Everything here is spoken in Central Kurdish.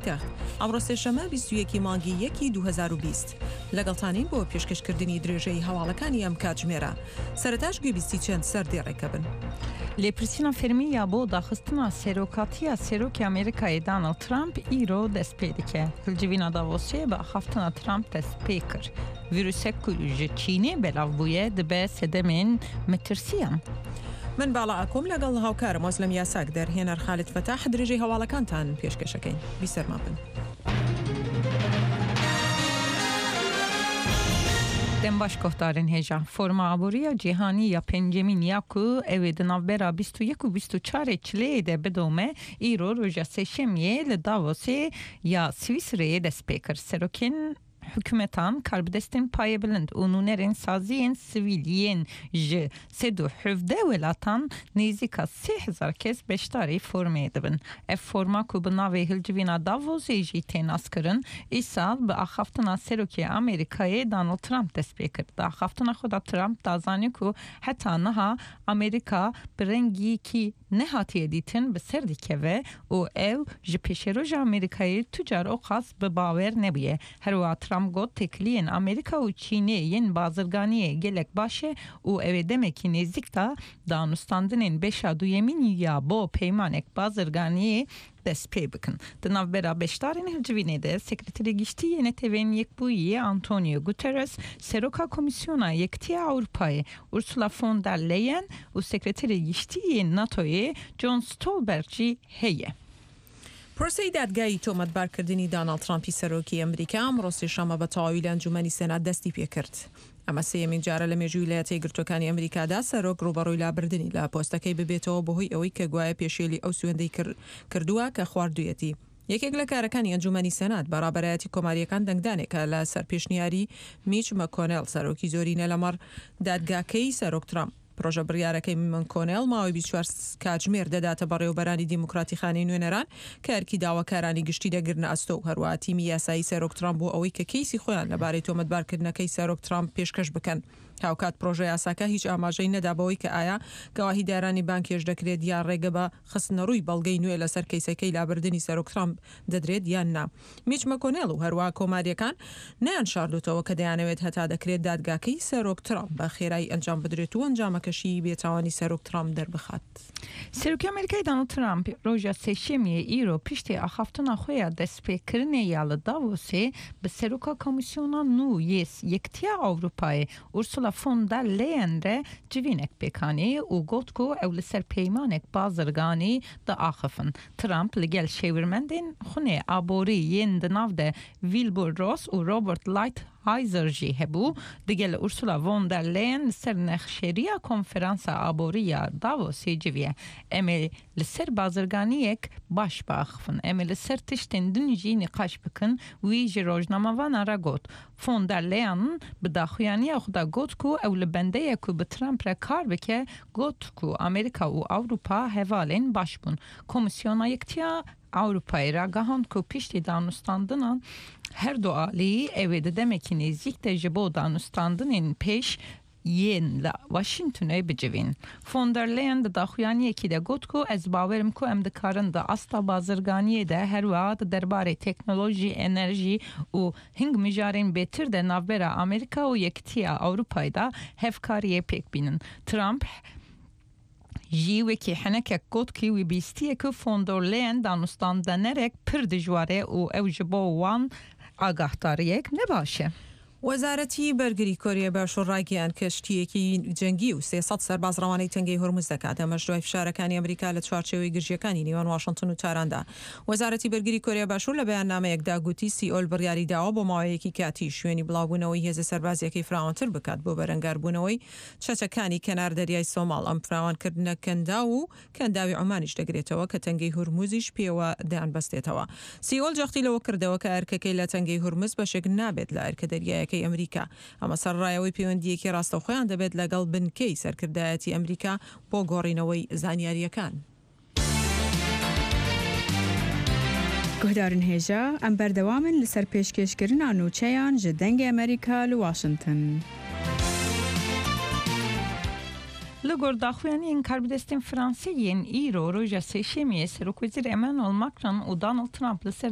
پایتەخت، ئەمڕۆ سێشەممە 21 ی مانگی یەکی 2020 لەگەڵتانین بۆ پێشکەشکردنی درێژەی هەواڵەکانی ئەم کاتژمێرە. سەرەتاش گوێبیستی چەند سەردێڕێکە بن. لێپرسینا فەرمی ya bo daxistina serokatiya Serokê Amerîkayê Donald Trump îro dest pê dike. Hilcivîna Davosê bi axaftina Trump dest pê kir. Vîrusek ku ji Çînê belav bûye dibe sedemên metirsiyan. من باڵا ئاکۆم لەگەڵ هاوکارم ئۆزلەم یاساک دەرهێنەر خالد فەتاح درێژەی هەواڵەکانتان پێشکەشەکەین. بیسەرمان بن. Dem baş guhdarên hêja. Forma Aboriya Cîhanî ya Pêncemîn ya ku ew ê di navbera 21 û 24 ê Çileyê de bidome, îro roja Sêşemiyê li Davosê ya Swîsreyê dest pê kir. Serokên hikûmetan, karbidestên payebilind û nûnerên saziyên sivîl yên ji 117 welatan nêzîka 3000 kes beşdarî formê dibin. Ev forma ku bi navê Hilcivîna Davosê jî tê naskirin, îsal bi axaftina Serokê Amerîkayê Donald Trump dest pê kir. Di axaftina xwe de Trump da zanîn ku heta niha Amerîka bi rengîkî nehatiye dîtin bi ser dikeve û ew ji pêşeroja Amerîkayê tu car o qas bi bawer nebûye. Her wiha Trump got têkiliyên Amerîka û Çînê yên bazirganiyê gelek baş e û ew ê demekî nêzîk de danûstandinên beşa duyemîn ya bo peymanek bazirganiyê dest pê bikin. Di navbera beşdarên hilcivînê de Sekreterê Giştî yê Neteweyên Yekbûyî Antonio Guterres, Seroka Komîsyona Yekitiya Ewropayê Ursula von der Leyen û Sekreterê Giştî yê NATOyê John Stolberg jî heye. پرۆسەی دادگایی تۆمەتبارکردنی داناڵد ترامپی سەرۆکی ئەمریکا ئەمڕۆ سێشەممە بە تەواوی لە ئەنجومەنی سێنات دەستی پێکرد. ئەمە سێیەمین جارە لە مێژووی ویلایەتە یەکگرتووەکانی ئەمریکادا سەرۆک ڕووبەڕووی لابردنی لە پۆستەکەی ببێتەوە بەهۆی ئەوەی کە گوایە پێشێلی ئەو سوێندەی کردووە کە خواردوویەتی. یەکێک لە کارەکانی ئەنجومەنی سێنات بە ڕابەرایەتی کۆمارییەکان دەنگدانێکە لە سەر پێشنیاری میچ مەکۆنێڵ سەرۆکی زۆرینە لەمەڕ دادگاکەی سەرۆک ترامپ. پرۆژە بڕیارەکەی مکۆنێڵ ماوەی 24 کاتژمێر دەداتە بەڕێوەبەرانی دیموکراتی خانەی نوێنەران کە ئەرکی داواکارانی گشتی دەگرنە ئەستۆ و هەروەها تیمی یاسایی سەرۆک ترامپ بۆ ئەوەی کە کەیسی خۆیان لەبارەی تۆمەتبارکردنەکەی سەرۆک ترامپ پێشکەش بکەن. هاوکات پرۆژە یاساکە هیچ ئاماژەی نەدا بەوەی کە ئایا گەواهیدارانی بانگهێشت دەکرێت یا ڕێگە بە خستنەڕووی بەڵگەی نوێ لەسەر کەیسەکەی لابردنی سەرۆک ترامپ دەدرێت یان نا. میچ مەکۆنێڵ و هەروەها کۆمارییەکان نەیانشاردۆتەوە کە دەیانەوێت هەتا دەکرێت دادگاکەی سەرۆک ترامپ بە خێرایی ئەنجام بدرێت و ئەنجامەکەشی بێتاوانی سەرۆک ترامپ دەربخات. سەرۆکی ئەمریکای دانڵد ترامپ ڕۆژا سێشەمیێ ئیرۆ پشتی ئاخافتنا خۆ ya دەستپێکردنێ ya li Davosê bi Seroka Komîsyona Nû yê Yekitiya Ewropayê Ursula von der Leyen re civînek pêk anî û got ku ew li ser peymanek bazirganî diaxifin. Trump li gel şêwirmendên xunê aborî yên di nav de Wilbur Ross û Robert Lighthizer jî hebû, digel Ursula von der Leyen li ser nexşeriya Konferansa Aborî ya Davosê civiye. Em ê li ser bazirganiyek baş biaxivin. Em ê li ser tiştên din jî nîqaş bikin, wî ji rojnamevanan re got. Von der Leyen bi daxuyaniya xwe de got ku ew li bende ye ku bi Trump re kar bike, got ku Amerîka û Ewropa hevalên baş bûn. Komîsyona Yekitiya Ewropayê ragihand ku piştî danûstandinan her du alî ew ê di demekî nêzîk de ji bo danûstandinên pêş yên li Washingtonê bicivîn. Von der Leyen di daxuyaniyekî de got ku ez bawer im ku em dikarin di asta bazirganiyê de her wiha di derbarê teknolojî, enerjî û hing mijarên bêtir de navbera Amerîka û Yekitiya Ewropayê de hevkariyê pêk bînin. Trump jî wekî henekek got ku wî bîstiye ku von der Leyen danûstandenerek pir dijwar e û ew ji bo wan agahdariyek ne baş e. وەزارەتی بەرگری کۆریای باشوور ڕایگەیاند کەشتییەکی جەنگی و 300 سەرباز ڕەوانەی تەنگەی هورمز دەکات، ئەمەش دوای فشارەکانی ئەمریکا لە چوارچێوەی گرژییەکانی نێوان واشنتن و تاراندا. وەزارەتی بەرگری کۆریای باشوور لە بەیاننامەیەکدا گوتی سیئۆل بڕیاری داوە بۆ ماوەیەکی کاتی شوێنی بڵاوبوونەوەی هێزە سەربازییەکەی فراوانتر بکات بۆ بەرەنگاربوونەوەی چەتەکانی کەنار دەریای سۆماڵ، ئەم فراوانکردنە کەنداو و کەنداوی عومانیش دەگرێتەوە کە تەنگەی هورمزیش پێوە دەیانبەستێتەوە. سیئۆل جەختی لەوە کردەوە کە ئەرکەکەی لە تەنگەی هورمز بەشێک نابێت لە ئەرکە دەریایەکەی ئەمریکا، ئەمە سەرەڕای ئەوەی پەیوەندییەکی ڕاستەوخۆیان دەبێت لەگەڵ بنکەی سەرکردایەتی ئەمریکا بۆ گۆڕینەوەی زانیارییەکان. Guhdarên hêja, em berdewam in li ser pêşkêşkirina nûçeyan ji Dengê Amerîka li Washington. Li gor daxuyaniyên karbidestên Fransî yên îro roja Sêşemiyê Serokwezîr Emmanuel Macron û Donald Trump li ser.